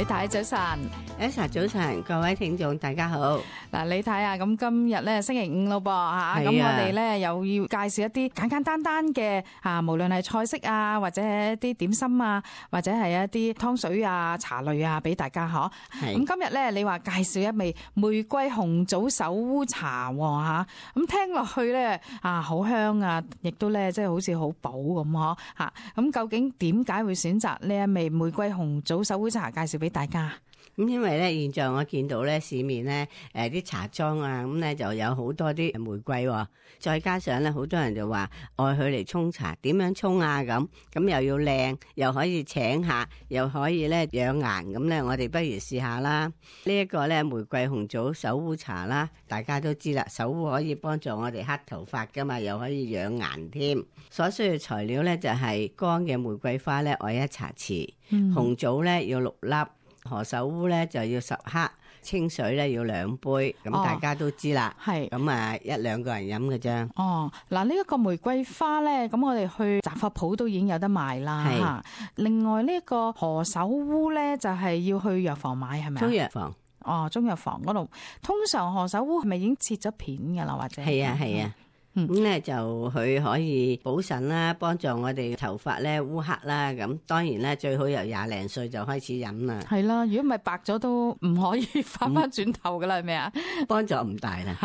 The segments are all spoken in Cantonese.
太早晨，Elsa 早晨，各位聽眾大家好。嗱，你睇下咁今日咧星期五咯噃吓，咁我哋咧又要介紹一啲簡簡單單嘅無論係菜式啊，或者係一啲點心啊，或者係一啲湯水啊、茶類啊，俾大家嗬。咁今日咧，你話介紹一味玫瑰紅棗手烏茶吓，咁聽落去咧好香啊，亦都咧即係好似好補咁嗬吓。咁究竟點解會選擇呢一味玫瑰紅棗手烏茶介紹俾大家？咁因為咧，現在我見到咧市面咧，啲茶莊啊，咁咧就有好多啲玫瑰喎，再加上咧好多人就話愛佢嚟沖茶，點樣沖啊咁又要靚，又可以請客，又可以咧養顏，咁咧我哋不如試下啦。呢一個咧玫瑰紅棗手烏茶啦，大家都知啦，手烏可以幫助我哋黑頭髮噶嘛，又可以養顏添。所需要材料咧就係乾嘅玫瑰花咧愛1茶匙，紅棗咧要6粒。何首烏咧就要10克，清水咧要2杯，咁大家都知啦。係咁1-2個人飲嘅啫。嗱呢一個玫瑰花咧，咁我哋去雜貨鋪都已經有得賣啦。另外呢一個何首烏咧，就係要去藥房買，係咪？中藥房。中藥房嗰度，通常何首烏係咪已經切咗片噶啦？或者係啊。咁咧就佢可以補腎啦，幫助我哋頭髮咧烏黑啦。咁當然咧最好由20零歲就開始飲啦。係啦，如果唔係白咗都唔可以翻翻轉頭噶啦，係咪啊？幫助唔大啦。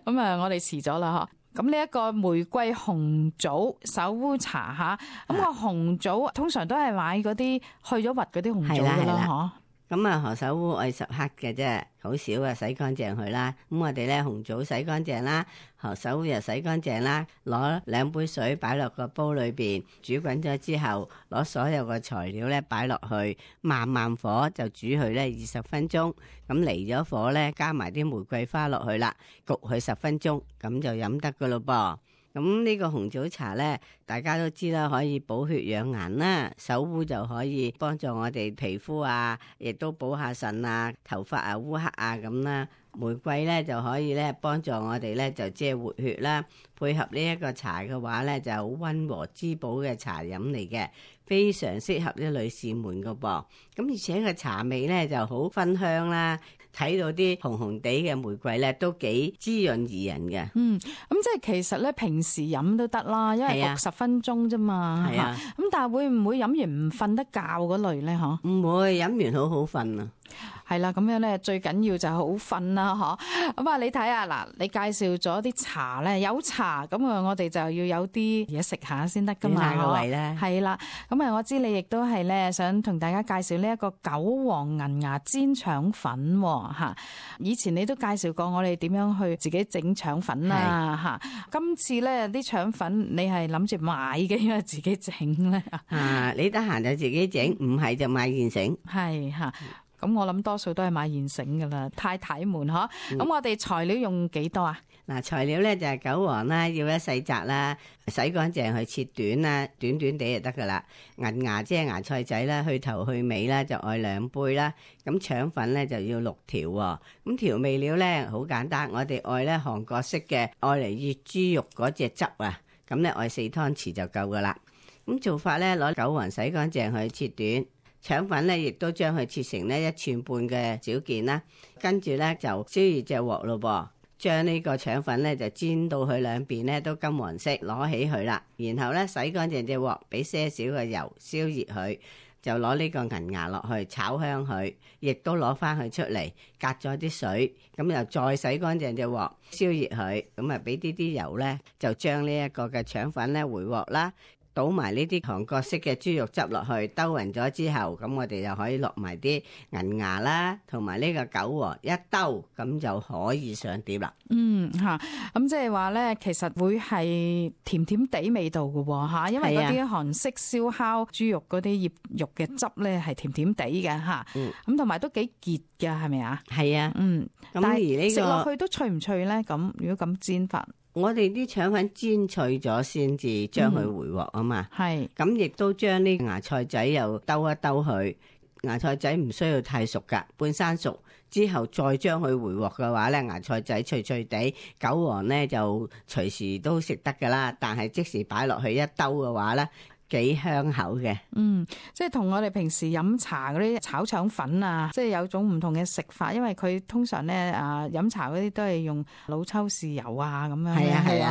咁我哋遲咗啦嗬。咁呢一個玫瑰紅棗手烏茶吓，咁個紅棗通常都係買嗰啲去咗核嗰啲紅棗噶啦嗬。咁何首烏愛10克嘅啫，好少啊，洗乾淨佢啦。咁我哋咧紅棗洗乾淨啦，何首烏又洗乾淨啦，攞2杯水擺落個煲裏邊煮滾咗之後，攞所有嘅材料咧擺落去，慢慢火就煮佢咧20分鐘。咁離咗火咧，加埋啲玫瑰花落去啦，焗佢10分鐘，咁就飲得噶咯噃。咁呢個紅棗茶呢，大家都知啦，可以補血養顏啦。手烏就可以幫助我哋皮膚啊，亦都補下腎啊，頭髮啊烏黑啊咁啦。玫瑰呢就可以呢幫助我哋呢就即係活血啦。配合呢一個茶嘅話呢，就好溫和滋補嘅茶飲嚟嘅，非常適合啲女士們噶噃。咁而且個茶味呢就好芬香啦。睇到啲紅紅地嘅玫瑰咧，都幾滋潤怡人嘅。咁即係其實咧，平時飲都得啦，因為焗10分鐘啫嘛。咁但係會唔會飲完唔瞓得覺嗰類咧？嗬，唔會，飲完好好瞓啊。係啦，咁樣咧最緊要就係好瞓啦，嗬。咁你睇下嗱，你介紹咗啲茶咧，有茶咁我哋就要有啲嘢食下先得噶嘛。暖下個胃咧。係啦，咁我知你亦都係咧想同大家介紹呢一個韭黃銀芽煎腸粉吓。以前你都介紹過我哋點樣去自己整腸粉啦吓。今次咧啲腸粉你係諗住買嘅，因為自己整咧。你得閒就自己整，唔係就買現成。係吓。咁我諗多數都係買現成噶啦，太太們嗬。咁我哋材料用幾多啊？材料咧就係韭黃啦，要1細紮啦，洗乾淨去切短啦，短短地就得噶啦。銀芽即係芽菜仔啦，去頭去尾啦，就愛2杯啦。咁腸粉咧就要6條。咁調味料咧好簡單，我哋愛咧韓國式嘅，愛嚟醃豬肉嗰隻汁啊。咁咧愛4湯匙就夠噶啦。咁做法咧，攞韭黃洗乾淨去切短。腸粉咧，亦都將佢切成呢1寸半嘅小件啦，跟住咧就燒熱隻鑊咯噃，將呢個腸粉咧就煎到佢兩邊咧都金黃色，攞起佢啦，然後咧洗乾淨隻鑊，俾些少嘅油燒熱佢，就攞呢個銀芽落去炒香佢，亦都攞翻佢出嚟，隔咗啲水，咁又再洗乾淨隻鑊，燒熱佢，咁俾啲油咧，就將呢一個嘅腸粉咧回鑊啦。倒埋呢啲韓國式嘅豬肉汁落去，兜勻咗之後，咁我哋就可以落埋啲銀芽啦，同埋呢個韭黃一兜，咁就可以上碟啦。咁即係話咧，其實會係甜甜地味道嘅吓，因為嗰啲韓式燒烤豬肉嗰啲醃肉嘅汁咧係甜甜地嘅吓，咁同埋都幾結嘅，係咪啊？係啊，但係食落去都脆唔脆咧？咁如果咁煎法？我哋啲腸粉煎脆咗先至將佢回鑊啊嘛，咁亦都將呢芽菜仔又兜一兜佢，芽菜仔唔需要太熟噶，半生熟之後再將佢回鑊嘅話咧，芽菜仔脆脆地，韭黃咧就隨時都食得噶啦，但係即時擺落去一兜嘅話咧，幾香口嘅。即係同我哋平時飲茶嗰啲炒腸粉啊，即係有種唔同嘅食法，因為佢通常咧飲茶嗰啲都係用老抽豉油啊咁樣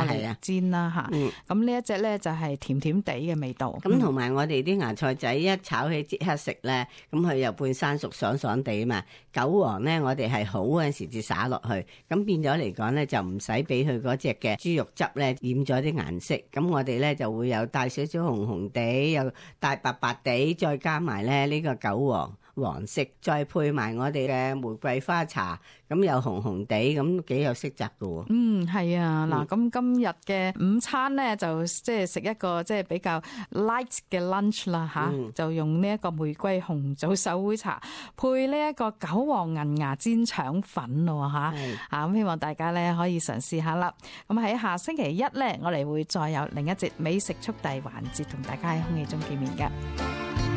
嚟煎啦嚇。咁呢一隻咧就係甜甜地嘅味道。咁同埋我哋啲芽菜仔一炒起即刻食咧，咁佢又半生熟爽爽地啊嘛。韭黃咧我哋係好嗰陣時至灑落去，咁變咗嚟講咧就唔使俾佢嗰隻嘅豬肉汁咧染咗啲顏色。咁我哋咧就會有帶少少紅紅地，又帶白白地，再加埋咧呢個韭黃黃色，再配埋我哋嘅玫瑰花茶，咁又紅紅地，咁幾有色澤㗎喎。係啊，嗱，咁今日嘅午餐咧就即係食一個即係比較 light 嘅 lunch 啦嚇，就用呢一個玫瑰紅棗手繪茶配呢一個韭黃銀芽煎腸粉咯嚇，咁希望大家咧可以嘗試下啦。咁喺下星期一咧，我哋會再有另一節美食速遞環節同大家喺空氣中見面嘅。